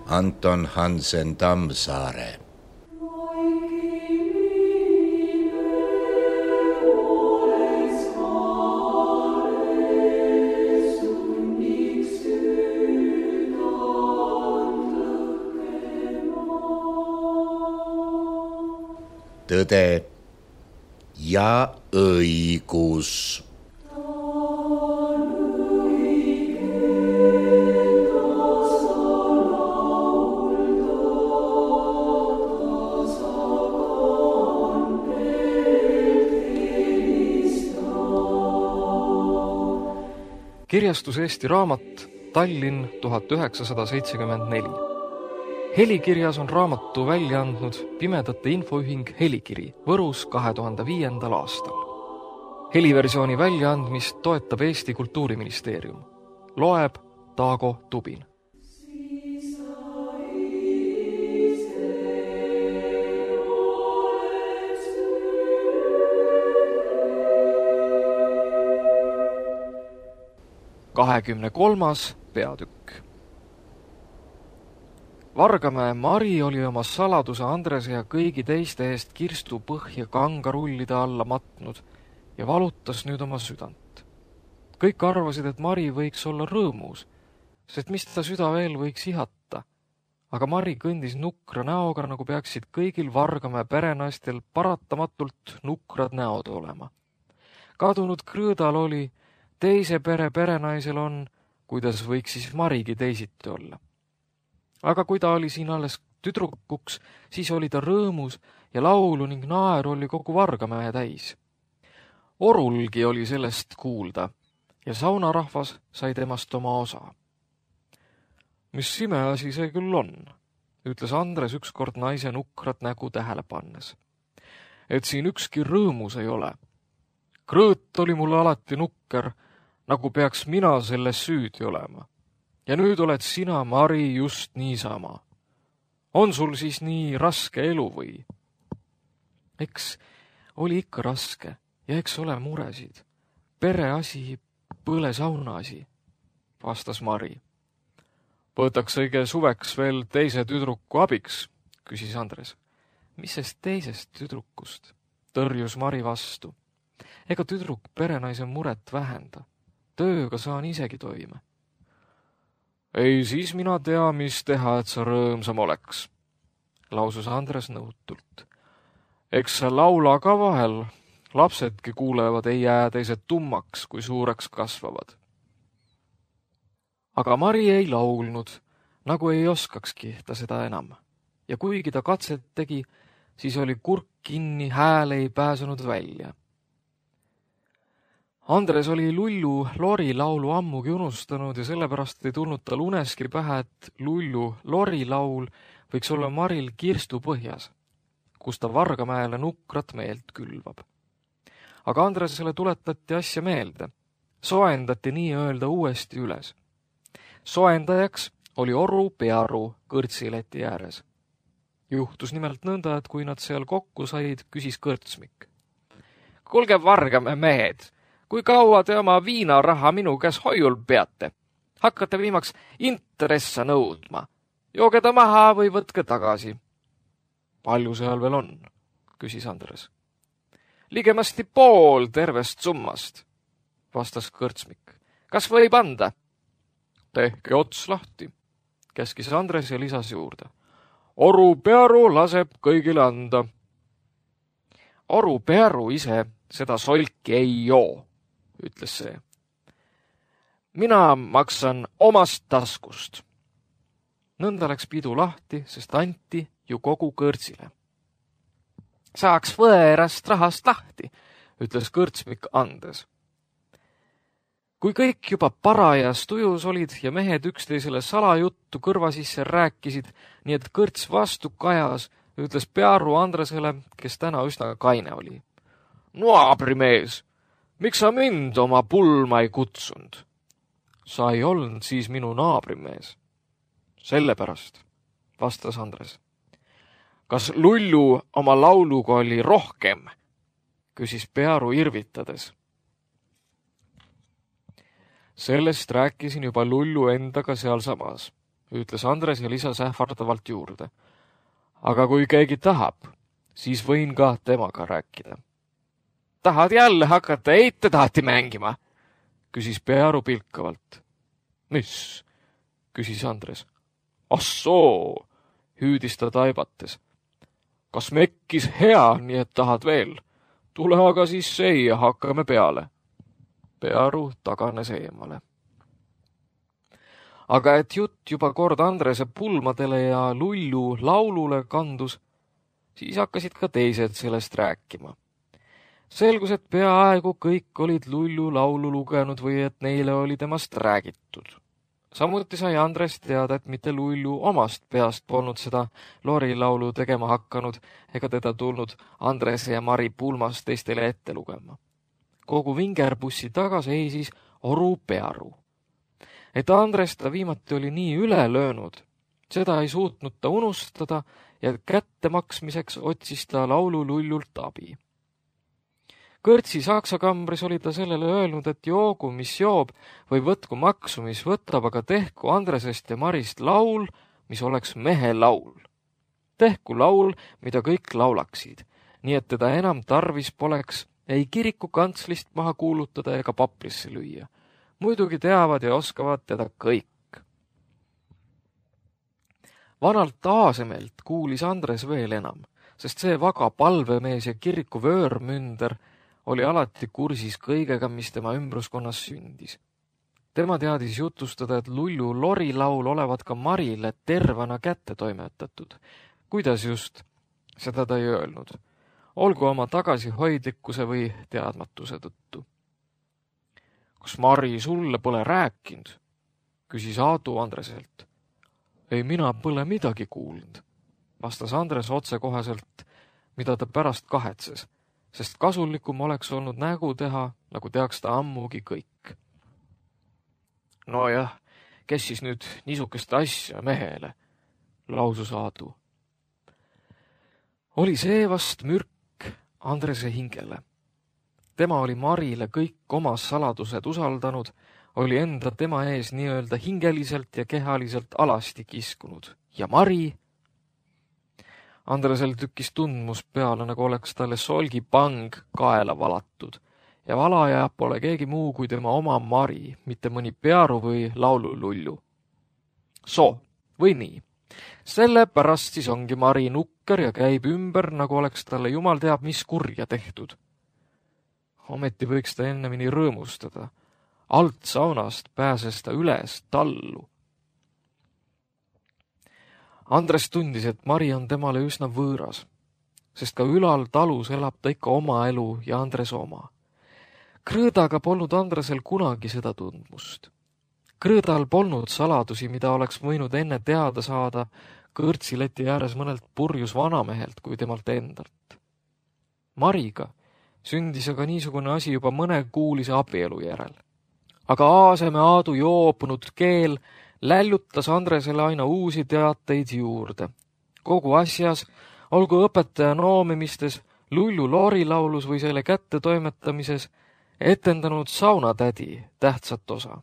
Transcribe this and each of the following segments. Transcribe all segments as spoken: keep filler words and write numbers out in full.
Anton Hansen Tammsaare. Tõde ja õigus. Kirjastus Eesti Raamat, Tallinn tuhat üheksasada seitsekümmend neli. Helikirjas on raamatu välja andnud Pimedate Infoühing Helikiri Võrus kahe tuhande viiendal aastal. Heliversiooni väljaandmist toetab Eesti Kultuuriministeerium. Loeb Taago Tubin. kahekümne kolmas peatükk. Vargamäe Mari oli oma saladuse Andrese ja kõigi teiste eest kirstu põhja kangarullide alla matnud ja valutas nüüd oma südant. Kõik arvasid, et Mari võiks olla rõõmus, sest mis ta süda veel võiks ihata. Aga Mari kõndis nukra näoga, nagu peaksid kõigil Vargamäe perenaistel paratamatult nukrad näod olema. Kadunud Krõõdal oli, teise pere perenaisel on, kuidas võiks siis Marigi teisiti olla. Aga kui ta oli siin alles tüdrukuks, siis oli ta rõõmus ja laulu ning naeru oli kogu Vargamäe täis. Orulgi oli sellest kuulda ja saunarahvas sai temast oma osa. Mis imeasi see küll on, ütles Andres ükskord naise nukrat nägu tähele pannes. Et siin ükski rõõmus ei ole. Krõõt oli mulle alati nukker, nagu peaks mina selles süüdi olema. Ja nüüd oled sina, Mari, just niisama. On sul siis nii raske elu või? Eks oli ikka raske ja eks ole muresid. Pereasi, põle saunaasi, vastas Mari. Võtaks õige suveks veel teise tüdruku abiks, küsis Andres. Mis sest teisest tüdrukust? Tõrjus Mari vastu. Ega tüdruk perenaise muret vähenda. Tööga saan isegi toime. Ei, siis mina tea, mis teha, et sa rõõmsam oleks, lausus Andres nõutult. Eks sa laula ka vahel, lapsedki kuulevad, ei jää teised tummaks, kui suureks kasvavad. Aga Mari ei laulnud, nagu ei oskakski ta seda enam. Ja kuigi ta katset tegi, siis oli kurk kinni, hääl ei pääsenud välja. Andres oli Lullu Lori laulu ammugi unustanud ja sellepärast ei tulnud tal uneski pähe, et Lullu Lori laul võiks olla Maril kirstu põhjas, kus ta Vargamäele nukrat meelt külvab. Aga Andresele tuletati asja meelde. Soendati nii-öelda uuesti üles. Soendajaks oli Oru Pearu kõrtsileti ääres. Juhtus nimelt nõnda, et kui nad seal kokku said, küsis kõrtsmik. Kuulge, Vargamäe mehed! Kui kaua te oma viinaraha minu käes hoiul peate? Hakkate viimaks intressa nõudma. Jooge ta maha või võtke tagasi. Palju seal veel on? Küsis Andres. Ligemasti pool tervest summast, vastas kõrtsmik. Kas võib anda? Tehke ots lahti, käskis Andres ja lisas juurde. Oru Pearu laseb kõigile anda. Oru Pearu ise seda solki ei joo, ütles see. Mina maksan omast taskust. Nõnda läks pidu lahti, sest anti ju kogu kõrtsile. Saaks võerast rahast lahti, ütles kõrtsmik andes. Kui kõik juba parajas tujus olid ja mehed üksteisele salajuttu kõrva sisse rääkisid, nii et kõrts vastu kajas, ütles Pearu Andresele, kes täna üsna kaine oli. Naabrimees! Miks sa mind oma pulma ei kutsunud? Sa ei olnud siis minu naabrimees. Sellepärast, vastas Andres. Kas Lullu oma lauluga oli rohkem? Küsis Pearu irvitades. Sellest rääkisin juba Lullu endaga sealsamas, ütles Andres ja lisas ähvardavalt juurde. Aga kui keegi tahab, siis võin ka temaga rääkida. Tahad jälle hakata eitetaati mängima? Küsis Pearu pilkavalt. Mis? Küsis Andres. Assoo, hüüdis ta taibates. Kas mekkis hea, nii et tahad veel? Tule aga siis see ja hakkame peale. Pearu taganes eemale. Aga et jutt juba kord Andrese pulmadele ja Lullu laulule kandus, siis hakkasid ka teised sellest rääkima. Selgus, et peaaegu kõik olid Lullu laulu lugenud või et neile oli temast räägitud. Samuti sai Andres teada, et mitte Lullu omast peast polnud seda Lori laulu tegema hakanud ega teda tulnud Andrese ja Mari pulmas teistele ette lugema. Kogu vingerbussi taga seisis Oru Pearu. Et Andres ta viimati oli nii üle löönud, seda ei suutnud ta unustada ja kätte maksmiseks otsis ta laulu Lullult abi. Kõrtsi Saksa kambris oli ta sellele öelnud, et joogu, mis joob, või võtku maksu, mis võtab, aga tehku Andresest ja Marist laul, mis oleks mehe laul. Tehku laul, mida kõik laulaksid, nii et teda enam tarvis poleks ei kiriku kantslist maha kuulutada ega paprisse lüüa. Muidugi teavad ja oskavad teda kõik. Vanalt Aasemelt kuulis Andres veel enam, sest see vaga palvemees ja kiriku vöörmünder oli alati kursis kõigega, mis tema ümbruskonnas sündis. Tema teadis jutustada, et Lullu Lori laul olevat ka Marile tervana kätte toimetatud. Kuidas just, seda ta ei öelnud. Olgu oma tagasihoidlikkuse või teadmatuse tõttu. Kas Mari sulle pole rääkinud? Küsis Aadu Andreselt. Ei, mina pole midagi kuulnud, vastas Andres otsekoheselt, mida ta pärast kahetses, sest kasulikum oleks olnud nägu teha, nagu teaks ta ammugi kõik. No jah, kes siis nüüd niisukest asja mehele, lausus Aadu. Oli see vast mürk Andrese hingele. Tema oli Marile kõik omas saladused usaldanud, oli enda tema ees nii-öelda hingeliselt ja kehaliselt alasti kiskunud. Ja Mari... Andresel tükkis tundmus peale, nagu oleks talle solgipang kaela valatud. Ja valaja pole keegi muu kui tema oma Mari, mitte mõni Pearu või laululullu. So, või nii. Sellepärast siis ongi Mari nukker ja käib ümber, nagu oleks talle jumal teab mis kurja tehtud. Ometi võiks ta ennemini rõõmustada. Alt saunast pääses ta üles tallu. Andres tundis, et Mari on temale üsna võõras, sest ka ülal talus elab ta ikka oma elu ja Andres oma. Krõõdaga polnud Andresel kunagi seda tundmust. Krõõdal polnud saladusi, mida oleks võinud enne teada saada kõrtsileti ääres mõnelt purjus vanamehelt kui temalt endalt. Mariga sündis aga niisugune asi juba mõne kuulise abielu järel. Aga Aaseme Aadu joopunud keel lällutas Andresele aina uusi teateid juurde. Kogu asjas, olgu õpetaja noomimistes, Lullu Lori laulus või selle kätte toimetamises, etendanud saunatädi tähtsat osa.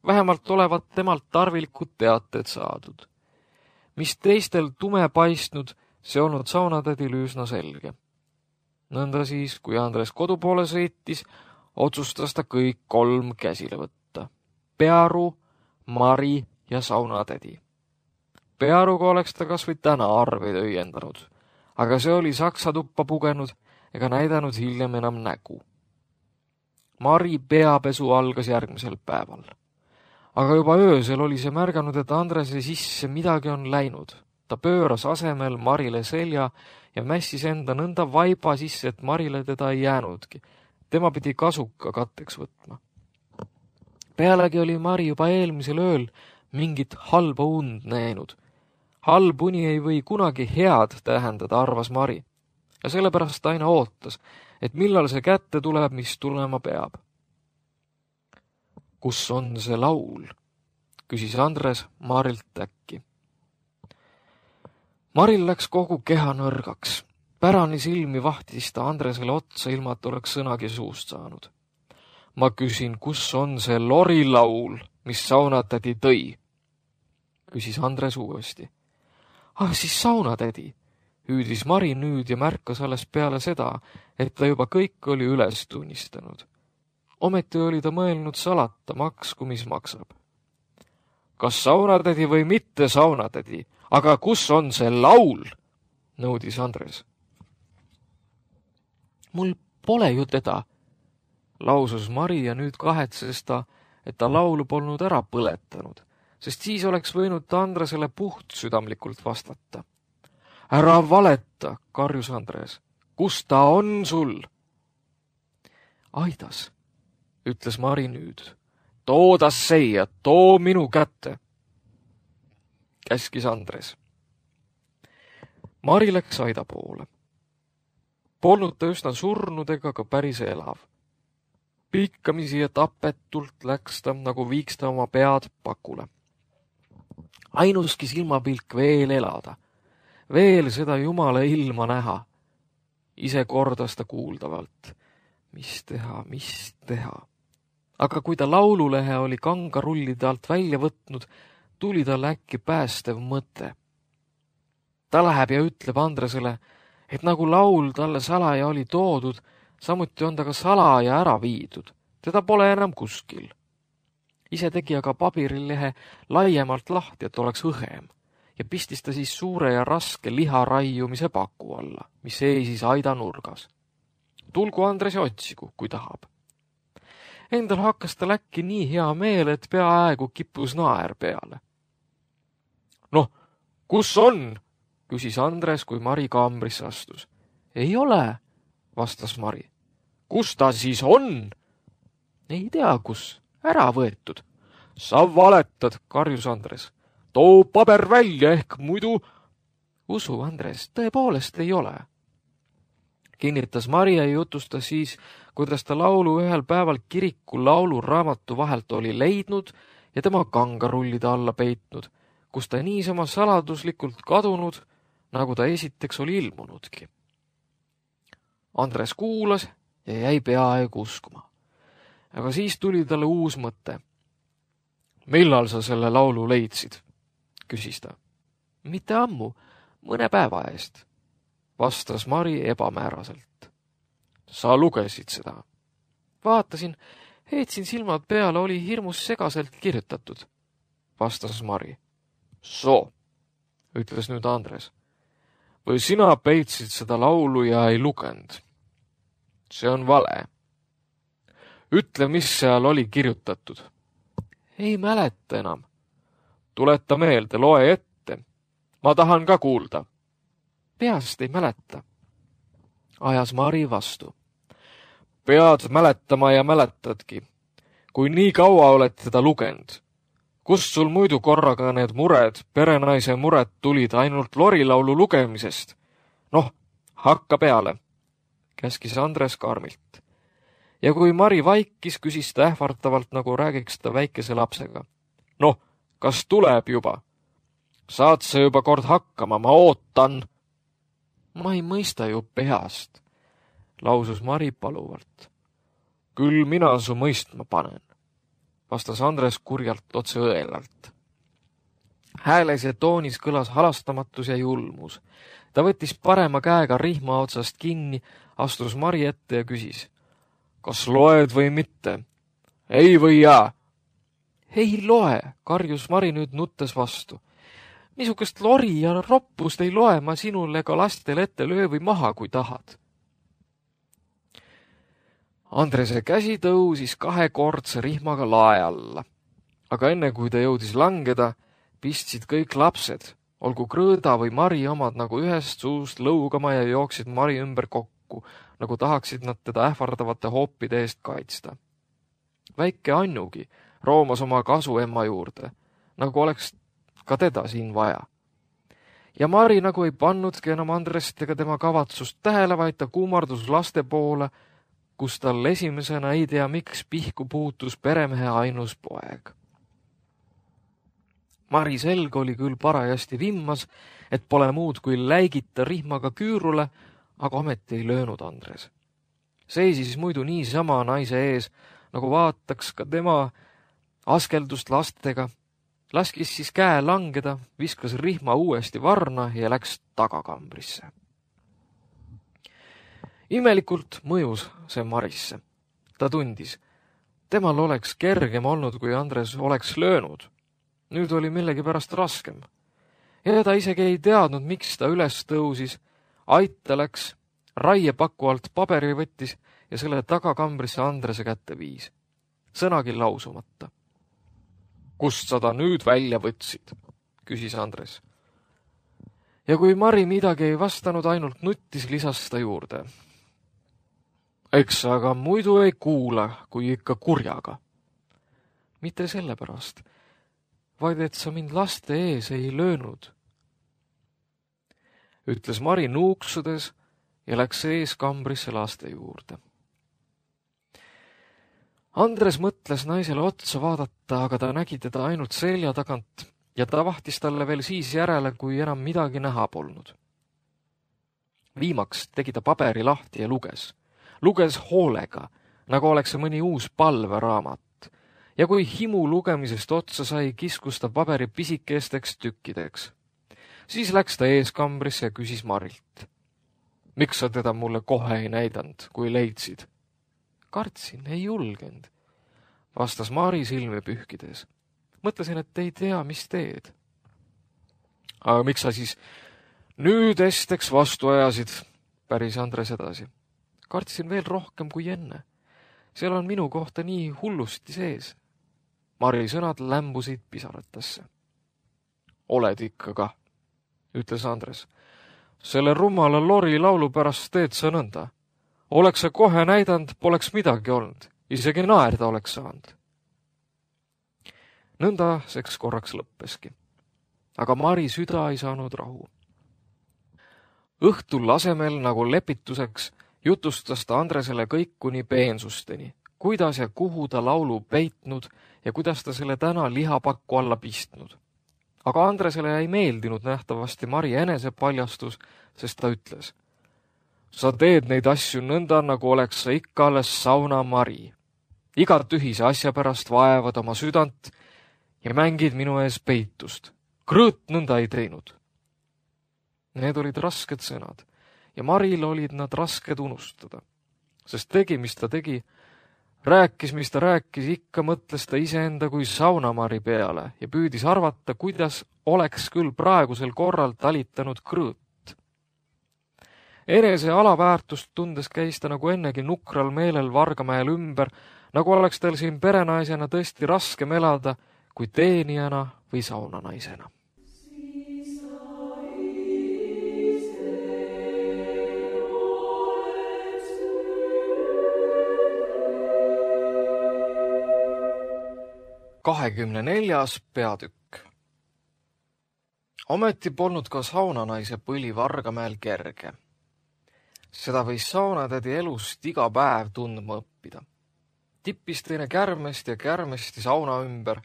Vähemalt olevat temalt tarvilikud teated saadud. Mis teistel tume paistnud, see olnud saunatädil üsna selge. Nõnda siis, kui Andres kodupoole sõitis, otsustas ta kõik kolm käsile võtta. Pearu, Mari ja saunatädi. Pearuga oleks ta kas või täna arveid õiendanud, aga see oli saksa tuppa pugenud ega näidanud hiljem enam nägu. Mari peapesu algas järgmisel päeval. Aga juba öösel oli see märganud, et Andrese sisse midagi on läinud. Ta pööras asemel Marile selja ja mässis enda nõnda vaiba sisse, et Marile teda ei jäänudki. Tema pidi kasuka katteks võtma. Pealegi oli Mari juba eelmisel ööl mingit halba und näinud. Halb uni ei või kunagi head tähendada, arvas Mari. Ja sellepärast ta aina ootas, et millal see kätte tuleb, mis tulema peab. Kus on see laul? Küsis Andres Marilt äkki. Maril läks kogu keha nõrgaks. Pärani silmi vahtis ta Andresele otsa, ilma et oleks sõnagi suust saanud. Ma küsin, kus on see Lori laul, mis saunatädi tõi? küsis Andres uuesti. Ah, siis saunatädi, hüüdis Mari nüüd ja märkas alles peale seda, et ta juba kõik oli üles tunnistanud. Ometi oli ta mõelnud salata, maksku mis maksab. Kas saunatädi või mitte saunatädi, aga kus on see laul? Nõudis Andres. Mul pole ju teda, lausus Mari ja nüüd kahetses ta, et ta laulu polnud ära põletanud, sest siis oleks võinud ta Andresele puht südamlikult vastata. Ära valeta, karjus Andres. Kus ta on sul? Aidas, ütles Mari nüüd. Too ta seia, too minu kätte, käskis Andres. Mari läks aida poole. Polnud ta üsna surnud ega ka päris elav. Pikkamisi ja tapetult läks ta, nagu viiks ta oma pead pakule. Ainuski silmapilk veel elada, veel seda jumala ilma näha. Ise kordas ta kuuldavalt. Mis teha, mis teha? Aga kui ta laululehe oli kangarullide alt välja võtnud, tuli tal äkki päästev mõte. Ta läheb ja ütleb Andresele, et nagu laul talle salaja oli toodud, samuti on ta ka salaja ära viidud. Teda pole enam kuskil. Ise tegi aga pabirilehe laiemalt lahti, et oleks õhem, ja pistis ta siis suure ja raske liha raiumise paku alla, mis seisis aida nurgas. Tulgu Andres ja otsigu, kui tahab. Endal hakkas tal äkki nii hea meel, et peaaegu kippus naer peale. Noh, kus on? Küsis Andres, kui Mari kaambrisse astus. Ei ole, vastas Mari. Kus ta siis on? Ei tea, kus. Ära võetud. Sa valetad, karjus Andres. Too paber välja ehk muidu... Usu, Andres, tõepoolest ei ole. Kinnitas Mari ja jutustas siis, kuidas ta laulu ühel päeval kiriku lauluraamatu vahelt oli leidnud ja tema kangarullide alla peitnud, kus ta niisama saladuslikult kadunud, nagu ta esiteks oli ilmunudki. Andres kuulas ja jäi peaaegu uskuma. Aga siis tuli talle uus mõte. Millal sa selle laulu leidsid? Küsis ta. Mitte ammu, mõne päeva eest, vastas Mari ebamääraselt. Sa lugesid seda? Vaatasin, heetsin silmad peale, oli hirmus segaselt kirjutatud, vastas Mari. So, ütles nüüd Andres. Või sina peitsid seda laulu ja ei lugenud? See on vale. Ütle, mis seal oli kirjutatud. Ei mäleta enam. Tuleta meelde, loe ette. Ma tahan ka kuulda. Peast ei mäleta. Ajas Mari vastu. Pead mäletama ja mäletadki, kui nii kaua oled teda lugenud. Kust sul muidu korraga need mured, perenaise mured tulid ainult lorilaulu lugemisest? Noh, hakka peale, käskis Andres karmilt. Ja kui Mari vaikis, küsis ta ähvartavalt, nagu räägiks ta väikese lapsega. Noh, kas tuleb juba? Saad sa juba kord hakkama, ma ootan. Ma ei mõista ju peast, lausus Mari paluvalt. Küll mina su mõistma panen, vastas Andres kurjalt otse õelalt. Hääles ja toonis kõlas halastamatus ja julmus. Ta võttis parema käega rihma otsast kinni, astus Mari ette ja küsis. Kas loed või mitte? Ei või jaa? Ei loe, karjus Mari nüüd nuttes vastu. Niisugust lori ja roppust ei loe ma sinule ega lastel ette löö või maha, kui tahad. Andrese käsi tõusis kahekordse rihmaga lae alla. Aga enne kui ta jõudis langeda, pistsid kõik lapsed, olgu Krõõda või Mari omad nagu ühest suust lõugama ja jooksid Mari ümber kokku, nagu tahaksid nad teda ähvardavate hoopide eest kaitsta. Väike Annugi roomas oma kasu emma juurde, nagu oleks ka teda siin vaja. Ja Mari nagu ei pannudki enam Andrest ega tema kavatsust tähele, vaid ta kuumardus laste poole, kus tal esimesena ei tea miks pihku puutus peremehe ainus poeg. Mari selg oli küll parajasti vimmas, et pole muud kui läigita rihmaga küürule, aga ometi ei löönud Andres. Seisis muidu niisama naise ees, nagu vaataks ka tema askeldust lastega, laskis siis käe langeda, viskas rihma uuesti varna ja läks tagakambrisse. Imelikult mõjus see Marisse. Ta tundis, temal oleks kergem olnud, kui Andres oleks löönud. Nüüd oli millegipärast raskem. Ja ta isegi ei teadnud, miks ta üles tõusis, aita läks, raiepaku alt paberi võttis ja selle tagakambrisse Andrese kätte viis. Sõnagi lausumata. Kust sa ta nüüd välja võtsid? Küsis Andres. Ja kui Mari midagi ei vastanud, ainult nuttis, lisas ta juurde. Eks aga muidu ei kuula, kui ikka kurjaga. Mitte sellepärast, vaid et sa mind laste ees ei löönud. Ütles Mari nuuksudes ja läks ees kambrisse laste juurde. Andres mõtles naisele otsa vaadata, aga ta nägi teda ainult selja tagant ja ta vahtis talle veel siis järele, kui enam midagi näha polnud. Viimaks tegi ta paberi lahti ja luges. Luges hoolega, nagu oleks see mõni uus palveraamat. Ja kui himu lugemisest otsa sai, kiskus ta paberi pisikesteks tükkideks. Siis läks ta eeskambrisse ja küsis Marilt. Miks sa teda mulle kohe ei näidanud, kui leidsid? Kartsin, ei julgenud, vastas Mari silmi pühkides. Mõtlesin, et ei tea, mis teed. Aga miks sa siis nüüd esteks vastu ajasid, päris Andres edasi. Kartsin veel rohkem kui enne. Seal on minu kohta nii hullusti sees. Mari sõnad lämbusid pisaratasse. Oled ikka ka, ütles Andres. Selle rumala Lori laulu pärast teed sa nõnda. Oleks sa kohe näidanud, poleks midagi olnud. Isegi naerda oleks saanud. Nõnda seks korraks lõppeski. Aga Mari süda ei saanud rahu. Õhtul asemel nagu lepituseks jutustas ta Andresele kõik kuni peensusteni, kuidas ja kuhu ta laulu peitnud ja kuidas ta selle täna lihapakku alla pistnud. Aga Andresele ei meeldinud nähtavasti Mari enesepaljastus, sest ta ütles. Sa teed neid asju nõnda, nagu oleks sa ikka alles sauna Mari. Iga tühise asja pärast vaevad oma südant ja mängid minu ees peitust. Krõõt nõnda ei teinud. Need olid rasked sõnad. Ja Maril olid nad rasked unustada, sest tegi, mis ta tegi, rääkis, mis ta rääkis, ikka mõtles ta iseenda kui saunamari peale ja püüdis arvata, kuidas oleks küll praegusel korral talitanud krõõt. Enese alaväärtust tundes käis ta nagu ennegi nukral meelel Vargamäel ümber, nagu oleks tal siin perenaisena tõesti raskem elada kui teenijana või saunanaisena. kahekümne neljas peatükk. Ometi polnud ka saunanaise põli Vargamäel kerge. Seda võis saunatädi elust iga päev tundma õppida. Tippis teine kärmest ja kärmesti sauna ümber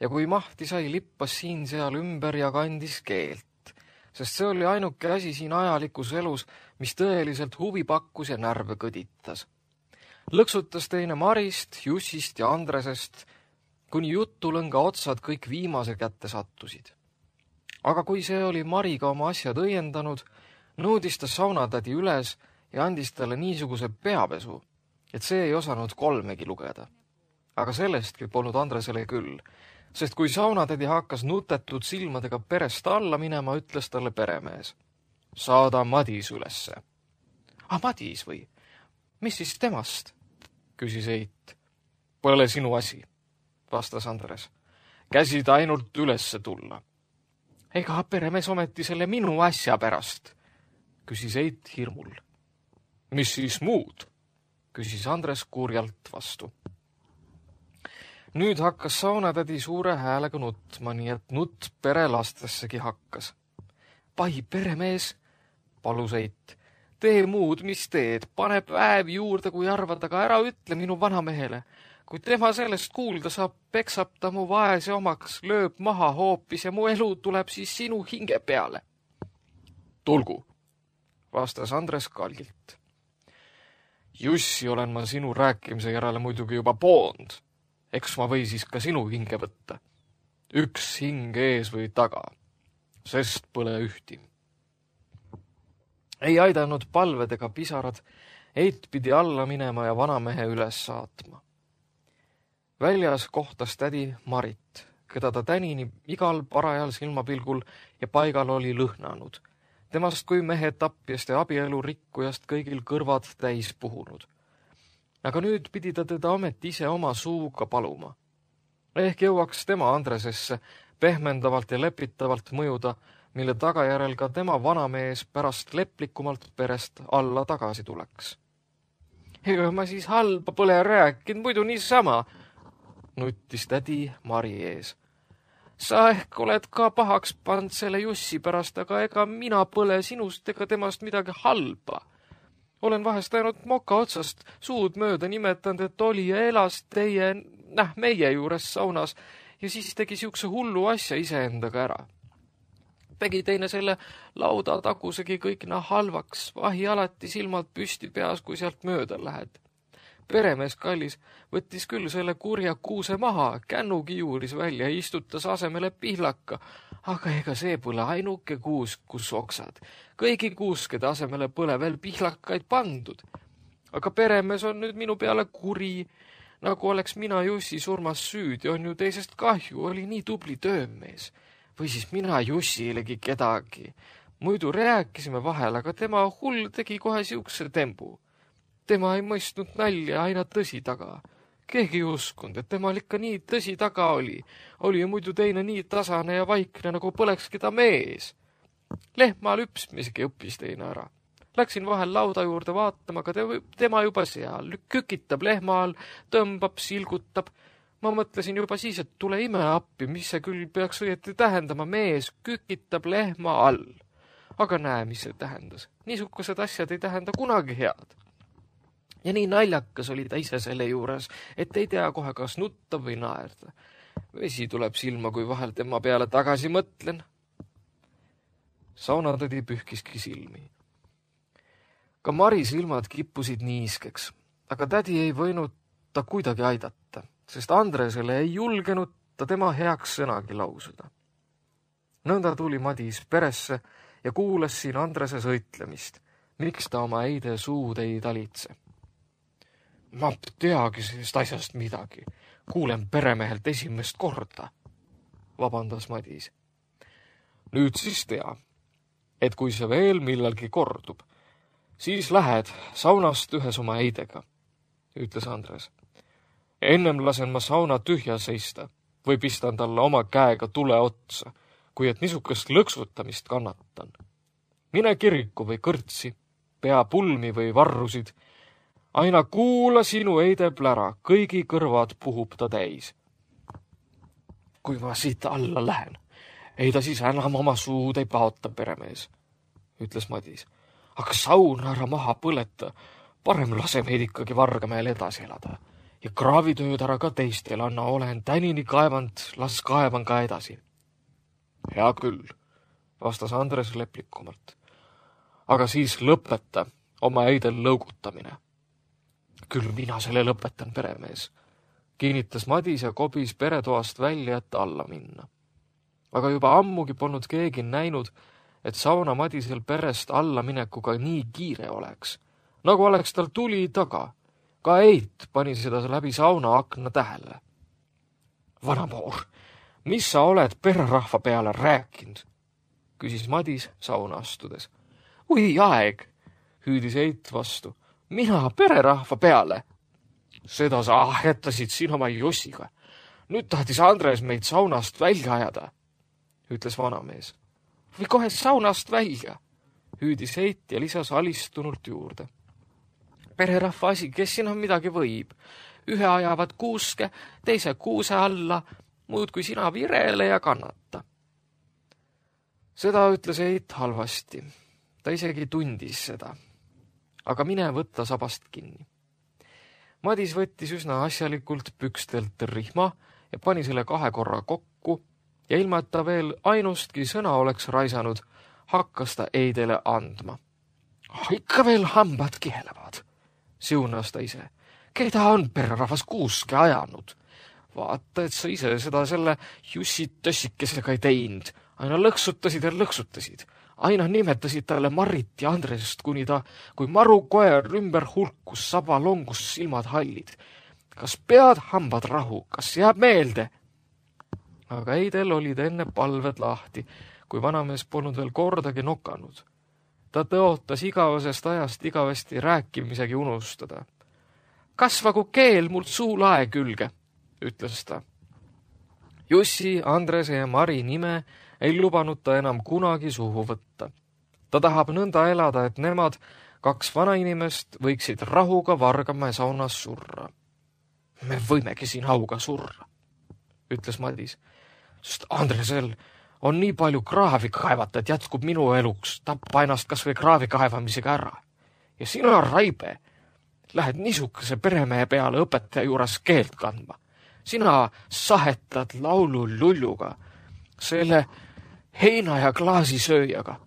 ja kui mahti sai, lippas siin-seal ümber ja kandis keelt, sest see oli ainuke asi siin ajalikus elus, mis tõeliselt huvi pakkus ja närve kõditas. Lõksutas teine Marist, Jussist ja Andresest, kuni jutulõnga otsad kõik viimase kätte sattusid. Aga kui see oli Mariga oma asjad õiendanud, nõudis ta saunatädi üles ja andis talle niisuguse peapesu, et see ei osanud kolmegi lugeda. Aga sellestki polnud Andresele küll, sest kui saunatädi hakkas nutetud silmadega perest alla minema, ütles talle peremees. Saada Madis ülesse. Ah, Madis või? Mis siis temast? Küsis Eit. Pole sinu asi, vastas Andres. Käsid ainult ülesse tulla. Ega peremees ometi selle minu asja pärast, küsis Eit hirmul. Mis siis muud? Küsis Andres kurjalt vastu. Nüüd hakkas saunatädi suure häälega nutma, nii et nutt perelastessegi hakkas. Pai, peremees, palus Eit. Tee muud, mis teed, pane päev juurde, kui arvad, aga ära ütle minu vanamehele. Kui tema sellest kuulda saab, peksab ta mu vaese omaks, lööb maha hoopis ja mu elu tuleb siis sinu hinge peale. Tulgu, vastas Andres kalgilt. Jussi olen ma sinu rääkimise järele muidugi juba poond. Eks ma või siis ka sinu hinge võtta. üks hing ees või taga, sest pole ühti. Ei aidanud palved ega pisarad, Eit pidi alla minema ja vanamehe üles saatma. Väljas kohtas tädi Marit, keda ta tänini igal parajal silmapilgul ja paigal oli lõhnanud. Temast kui mehe tapjast ja abielu rikkujast kõigil kõrvad täis puhunud. Aga nüüd pidi ta teda ometi ise oma suuga paluma. Ehk jõuaks tema Andresesse pehmendavalt ja lepitavalt mõjuda, mille tagajärel ka tema vanamees pärast leplikumalt perest alla tagasi tuleks. Ega ma siis halba pole rääkinud, muidu niisama, nuttis tädi Mari ees. Sa ehk oled ka pahaks pand selle Jussi pärast, aga ega mina pole sinust ega temast midagi halba. Olen vahest ainult moka otsast suud mööda nimetanud, et oli ja elas teie, näh, meie juures saunas ja siis tegi siukse hullu asja iseendaga ära. Tegi teine selle lauda tagusegi kõik na halvaks, vahi alati silmalt püsti peas, kui sealt mööda lähed. Peremees kallis võttis küll selle kurja kuuse maha, kännugi juuris välja ja istutas asemele pihlaka, aga ega see pole ainuke kuus, kus oksad. Kõigi kuuskede asemele pole veel pihlakaid pandud. Aga peremees on nüüd minu peale kuri, nagu oleks mina Jussi surmas süüdi, on ju teisest kahju, oli nii tubli töömees. Või siis mina Jussilegi kedagi. Muidu rääkisime vahel, aga tema hull tegi kohe siukse tembu. Tema ei mõistnud nalja aina tõsi taga. Keegi ei uskunud, et temal ikka nii tõsi taga oli. Oli ju muidu teine nii tasane ja vaikne, nagu põlekski ta mees. Lehma lüpsmisegi õppis teine ära. Läksin vahel lauda juurde vaatama, aga tema juba seal. Kükitab lehma all, tõmbab, silgutab. Ma mõtlesin juba siis, et tule ime appi, mis see küll peaks õieti tähendama, mees kükitab lehma all. Aga näe, mis see tähendas. Niisugused asjad ei tähenda kunagi head. Ja nii naljakas oli ta ise selle juures, et ei tea kohe kas nutta või naerda. Vesi tuleb silma, kui vahel tema peale tagasi mõtlen. Saunatädi pühkiski silmi. Ka Mari silmad kippusid niiskeks, aga tädi ei võinud ta kuidagi aidata, sest Andresele ei julgenud ta tema heaks sõnagi lausuda. Nõnda tuli Madis peresse ja kuulas siin Andrese sõitlemist, miks ta oma eide suud ei talitse. Ma teagi sellest asjast midagi. Kuulen peremehelt esimest korda, vabandas Madis. Nüüd siis tea, et kui see veel millalgi kordub, siis lähed saunast ühes oma eidega, ütles Andres. Ennem lasen ma sauna tühja seista või pistan talle oma käega tule otsa, kui et niisugust lõksutamist kannatan. Mine kiriku või kõrtsi, pea pulmi või varrusid, aina kuula sinu eide plära, kõigi kõrvad puhub ta täis. Kui ma siit alla lähen, ei ta siis enam oma suud ei paota, peremees, ütles Madis. Aga sauna ära maha põleta, parem lase meid ikkagi Vargamäel edasi elada. Ja kraavitööd ära ka teistel anna, olen tänini kaevand, las kaevan ka edasi. Hea küll, vastas Andres leplikumalt. Aga siis lõpeta oma eidel lõugutamine. Küll mina selle lõpetan, peremees, kinnitas Madis ja kobis peretoast välja, et alla minna. Aga juba ammugi polnud keegi näinud, et sauna Madisel perest alla minekuga nii kiire oleks, nagu oleks tal tuli taga. Ka Eit pani seda läbi sauna akna tähele. Vanamoor, mis sa oled pererahva peale rääkinud? Küsis Madis sauna astudes. Ui aeg, hüüdis Eit vastu. Mina pererahva peale. Seda sa ahetasid siin oma Jossiga. Nüüd tahtis Andres meid saunast välja ajada, ütles vanamees. Või kohe saunast välja, hüüdis Eit ja lisas alistunult juurde. Pererahva asi, kes siin on midagi võib. Ühe ajavad kuuske, teise kuuse alla, muud kui sina virele ja kannata. Seda ütles Eit halvasti. Ta isegi tundis seda. Aga mine võtta sabast kinni. Madis võttis üsna asjalikult pükstelt rihma ja pani selle kahe korra kokku ja ilma, et ta veel ainustki sõna oleks raisanud, hakkas ta eidele andma. Ikka veel hambad kihelevad, siunas ta ise. Keda on pererahvas kuuske ajanud? vaata, et sa ise seda selle Jussi tössikesega ei teinud. Aina lõksutasid ja lõksutasid. Aina nimetasid talle Marit ja Andresest, kuni ta, kui maru koer ümber hulkus, saba longus silmad hallid. Kas pead hambad rahu, kas jääb meelde? Aga Eidel olid enne palved lahti, kui vanamees polnud veel kordagi nokanud. Ta tõotas igavesest ajast igavesti rääkimisegi unustada. Kasvagu keel mult suu lae külge, ütles ta. Jussi, Andrese ja Mari nime ei lubanud ta enam kunagi suhu võtta. Ta tahab nõnda elada, et nemad, kaks vanainimest, võiksid rahuga Vargamäe saunas surra. Me võimegi siin hauga surra, ütles Madis, sest Andresel on nii palju kraavi kaevata, et jätkub minu eluks, tappa ennast kas või kraavi kaevamisega ära. Ja sina, Raibe, lähed niisuguse peremehe peale õpetaja juures keelt kandma. Sina sahetad laulu lulluga, selle heina ja klaasisööjaga,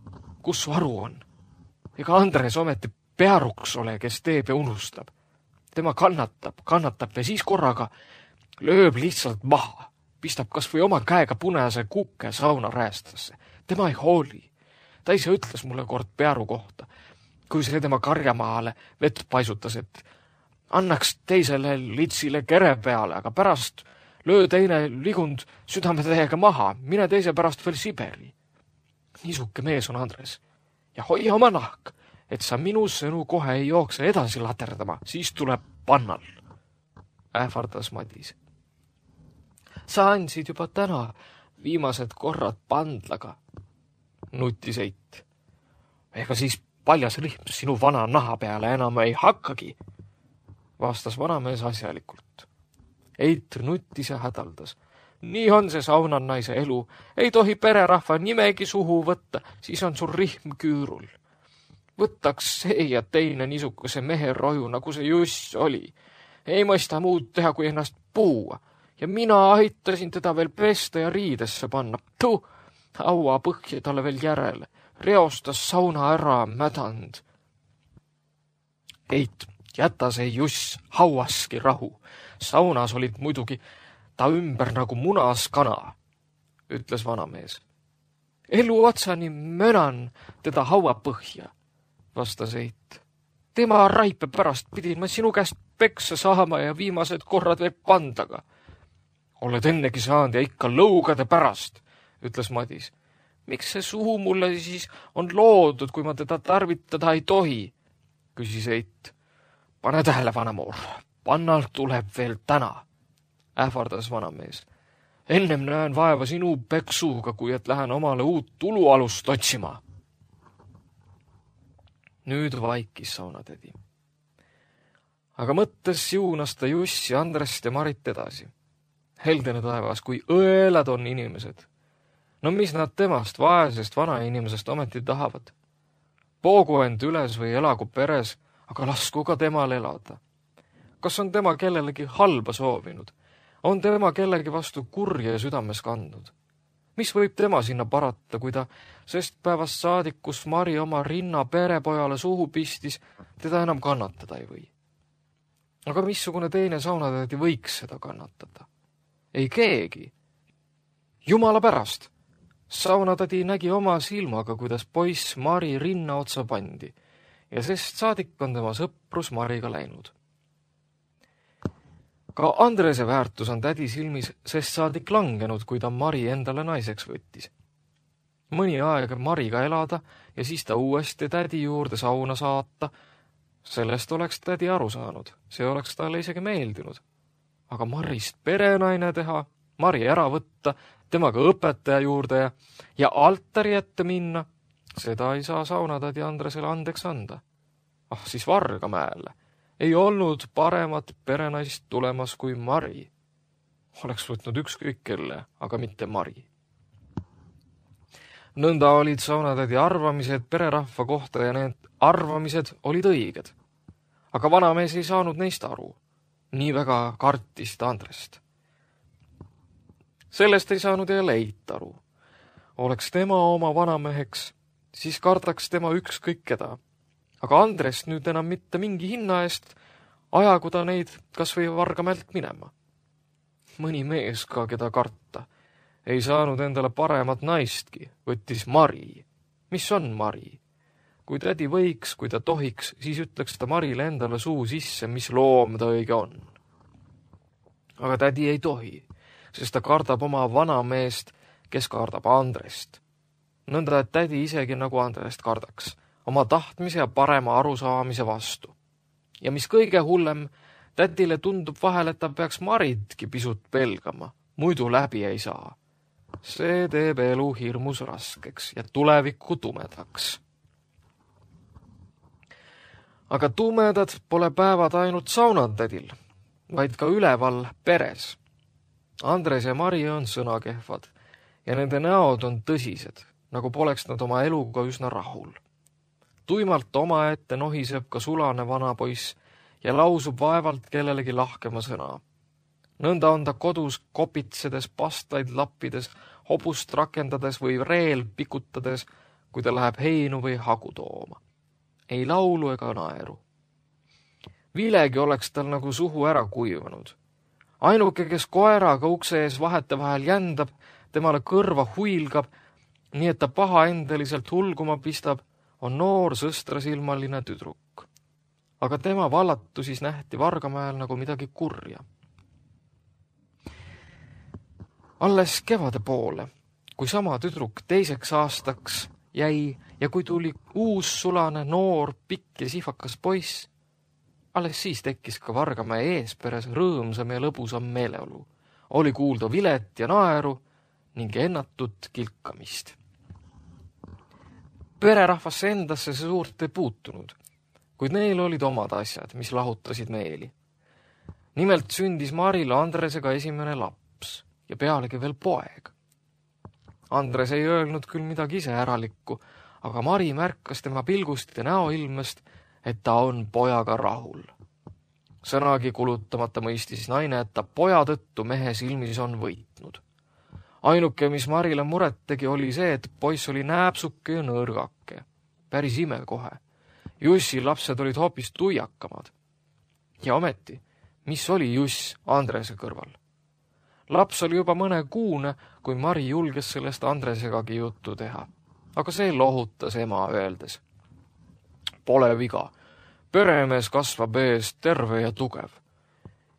kus su aru on. Ega Andres ometi pearuks ole, kes teeb ja unustab. Tema kannatab, kannatab ja siis korraga lööb lihtsalt maha. Pistab kas või oma käega punase kukke sauna räästasse. Tema ei hooli. Ta ise ütles mulle kord pearu kohta, kui see tema karjamaale vett paisutas, et annaks teisele litsile kere peale, aga pärast löö teine ligund südametäiega maha, mine teise pärast veel Siberi. Niisuke mees on Andres. Ja hoia oma nahk, et sa minu sõnu kohe ei jookse edasi laterdama, siis tuleb pannal. Ähvardas Madis. Sa andsid juba täna viimased korrad pandlaga, nutis Eit. Ega siis paljas rihm sinu vana naha peale enam ei hakkagi, vastas vanamees asjalikult. Eit nutis ja hädaldas. Nii on see saunan naise elu. Ei tohi pererahva nimegi suhu võtta, siis on sul rihm küürul. Võtaks see ja teine niisuguse mehe roju, nagu see Juss oli. Ei mõista muud teha, kui ennast puua. Ja mina aitasin teda veel pesta ja riidesse panna. Tu, haua põhja talle veel järele. Reostas sauna ära mädand. Eit, jäta see Juss hauaski rahu. Saunas olid muidugi ta ümber nagu munas kana, ütles vanamees. Elu otsani mönan teda haua põhja, vastas Eit. Tema Raipe pärast pidin ma sinu käest peksa saama ja viimased korrad veel pandaga. Oled ennegi saanud ja ikka lõugade pärast, ütles Madis. Miks see suhu mulle siis on loodud, kui ma teda tarvitada ei tohi, küsis Eit. Pane tähele, vanamoor, pannal tuleb veel täna, ähvardas vanamees. Ennem näen vaeva sinu peksuga, kui et lähen omale uut tulualust otsima. Nüüd vaikis saunatädi. Aga mõttes juunas ta Jussi, Andrest ja Marit edasi. Heldene taevas, kui õelad on inimesed. No mis nad temast, vaesest vanainimesest ometi tahavad? Poogu end üles või elagu peres, aga lasku ka temal elada. Kas on tema kellelegi halba soovinud? On tema kellegi vastu kurje südames kandnud? Mis võib tema sinna parata, kui ta sest päevast saadik, kus Mari oma rinna perepojale suhu pistis, teda enam kannatada ei või? Aga missugune teine saunatädi võiks seda kannatada? Ei keegi. Jumala pärast. Saunatädi nägi oma silmaga, kuidas poiss Mari rinna otsa pandi ja sest saadik on tema sõprus Mariga läinud. Ka Andrese väärtus on tädi silmis sest saadik langenud, kui ta Mari endale naiseks võttis. Mõni aeg Mariga elada ja siis ta uuesti tädi juurde sauna saata, sellest oleks tädi aru saanud, see oleks talle isegi meeldinud. Aga Marist perenaine teha, Mari ära võtta, temaga õpetaja juurde ja, ja altari ette minna, seda ei saa saunatädi Andresele andeks anda. Ah, siis Vargamäele. Ei olnud paremat perenaist tulemas kui Mari. Oleks võtnud ükskõik kelle, aga mitte Mari. Nõnda olid saunatädi arvamised pererahva kohta ja need arvamised olid õiged. Aga vanamees ei saanud neist aru. Nii väga kartis ta Andrest. Sellest ei saanud jälle Eit aru. Oleks tema oma vanameheks, siis kardaks tema ükskõik keda. Aga Andrest nüüd enam mitte mingi hinna eest ajagu ta neid kas või Vargamäelt minema. mõni mees ka, keda karta. Ei saanud endale paremat naistki, võttis Mari. Mis on Mari? Kui tädi võiks, kui ta tohiks, siis ütleks ta Marile endale suu sisse, mis loom ta õige on. Aga tädi ei tohi, sest ta kardab oma vanameest, kes kardab Andrest. Nõnda, et tädi isegi nagu Andrest kardaks, oma tahtmise ja parema arusaamise vastu. Ja mis kõige hullem, tädile tundub vahel, et ta peaks Maritki pisut pelgama, muidu läbi ei saa. See teeb elu hirmus raskeks ja tulevikku tumedaks. Aga tumedad pole päevad ainult saunatädil, vaid ka üleval peres. Andres ja Mari on sõnakehvad ja nende näod on tõsised, nagu poleks nad oma eluga üsna rahul. Tuimalt omaette nohiseb ka sulane vanapoiss ja lausub vaevalt kellelegi lahkema sõna. Nõnda on ta kodus kopitsedes, pastaid lappides, hobust rakendades või reel pikutades, kui ta läheb heinu või hagu tooma. Ei laulu ega naeru. Vilegi oleks tal nagu suhu ära kuivanud. Ainuke, kes koeraga ukse ees vahete vahel jändab, temale kõrva huilgab, nii et ta paha endeliselt hulguma pistab, on noor sõstrasilmaline tüdruk. Aga tema vallatu siis nähti Vargamäel nagu midagi kurja. Alles kevade poole, kui sama tüdruk teiseks aastaks jäi ja kui tuli uus sulane, noor, pikk ja sihvakas poiss, alles siis tekkis ka Vargamäe eesperes rõõmsam ja lõbusam meeleolu. Oli kuulda vilet ja naeru ning ennatut kilkamist. Pererahvasse endasse see suurt ei puutunud, kuid neil olid omad asjad, mis lahutasid meeli. Nimelt sündis Maril Andresega esimene laps ja pealegi veel poeg. Andres ei öelnud küll midagi ise äralikku, aga Mari märkas tema pilgust ja näoilmest, et ta on pojaga rahul. Sõnagi kulutamata mõistis naine, et ta poja tõttu mehe silmis on võitnud. Ainuke, mis Marile muret tegi, oli see, et poiss oli nääpsuke ja nõrgake. Päris ime kohe. Jussi lapsed olid hoopis tuiakamad. Ja ometi, mis oli Juss Andrese kõrval? Laps oli juba mõne kuune, kui Mari julges sellest Andresegagi juttu teha. Aga see lohutas ema öeldes. Pole viga. Peremees kasvab ees terve ja tugev.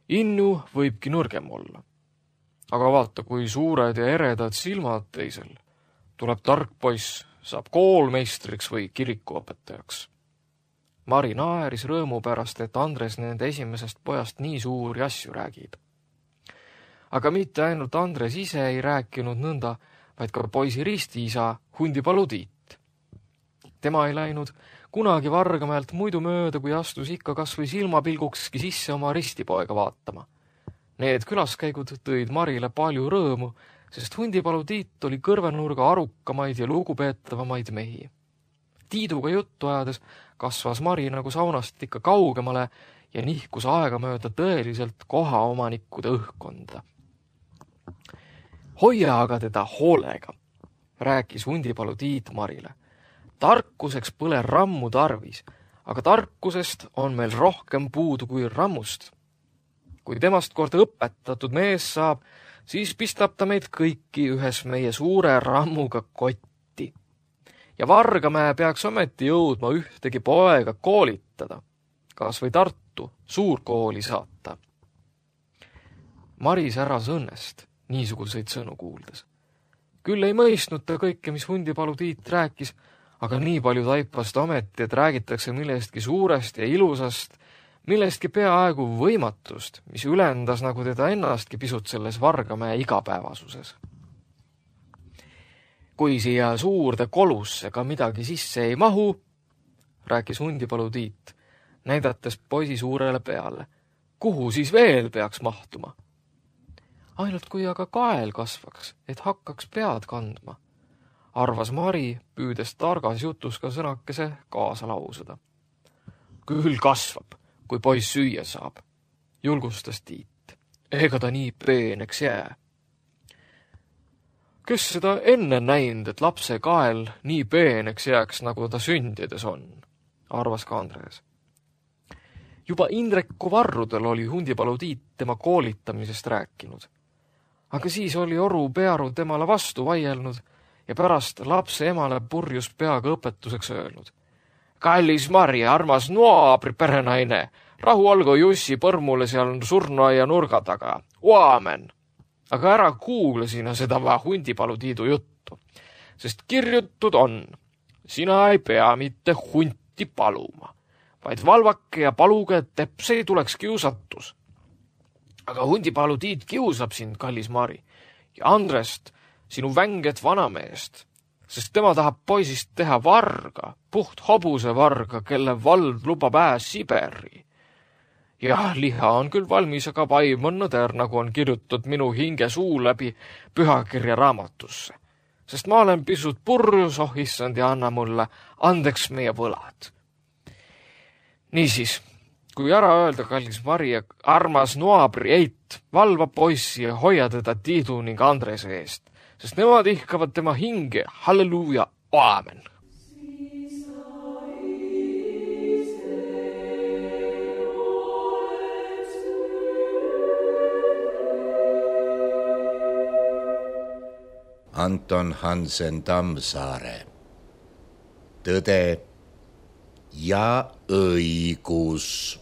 Innu võibki nõrgem olla. Aga vaata, kui suured ja eredad silmad teisel. Tuleb tark poiss, saab koolmeistriks või kirikuõpetajaks. Mari naeris rõõmu pärast, et Andres nende esimesest pojast nii suuri asju räägib. Aga mitte ainult Andres ise ei rääkinud nõnda, vaid ka poisi ristiisa Hundipalu Tiit. Tema ei läinud kunagi Vargamäelt muidu mööda, kui astus ikka kas või silmapilgukski sisse oma ristipoega vaatama. Need külaskäigud tõid Marile palju rõõmu, sest Hundipalu Tiit oli kõrvenurga arukamaid ja lugupeetavamaid mehi. Tiiduga juttu ajades kasvas Mari nagu saunast ikka kaugemale ja nihkus aegamööda tõeliselt kohaomanikkude õhkkonda. Hoia aga teda hoolega, rääkis Hundipalu Tiit Marile. Tarkuseks pole rammu tarvis, aga tarkusest on meil rohkem puudu kui rammust. Kui temast kord õpetatud mees saab, siis pistab ta meid kõiki ühes meie suure rammuga kotti. Ja Vargamäe peaks ometi jõudma ühtegi poega koolitada, kas või Tartu suurkooli saata. Mari säras õnnest niisuguseid sõnu kuuldes. Küll ei mõistnud ta kõike, mis Hundipalu Tiit rääkis, aga nii palju taipast ometi, et räägitakse millestki suurest ja ilusast, millestki peaaegu võimatust, mis ülendas nagu teda ennastki pisut selles Vargamäe igapäevasuses. Kui siia suurde kolusse ka midagi sisse ei mahu, rääkis Hundipalu Tiit, näidates poisi suurele peale. Kuhu siis veel peaks mahtuma? Ainult kui aga kael kasvaks, et hakkaks pead kandma, arvas Mari, püüdes targas jutus ka sõnakese kaasa lausada. Küll kasvab, kui poiss süüa saab, julgustas Tiit. Ega ta nii peeneks jää. Kes seda enne näinud, et lapse kael nii peeneks jääks, nagu ta sündides on, arvas ka Andres. Juba Indreku varrudel oli Hundipalu Tiit tema koolitamisest rääkinud. Aga siis oli oru pearu temale vastu vaielnud ja pärast lapse emale purjus peaga õpetuseks öelnud. Kallis Mari, armas naabri perenaine, rahu olgu Jussi põrmule seal surnuaia nurga taga. Aamen! Aga ära kuule sina seda va hundipalu tiidu juttu, sest kirjutud on, sina ei pea mitte hunti paluma, vaid valvake ja paluge, et tepse ei tuleks kiusatus. Aga hundipalu tiid kiusab sind, kallis Mari, ja Andrest, sinu vänget vanameest, sest tema tahab poisist teha varga, puht hobuse varga, kelle vald lubab ääs Siberi. Jah, liha on küll valmis, aga vaim on nõder, nagu on kirjutatud minu hinge suu läbi pühakirja raamatusse. Sest ma olen pisut purjus, oh issand, ja anna mulle andeks meie võlad. Niisiis, kui ära öelda, kallis Mari, armas naabri Eit, valva poissi ja hoia teda Tiidu ning Andrese eest, sest nemad ihkavad tema hinge, halleluuja, aamen. Anton Hansen Tammsaare. Tõde ja õigus.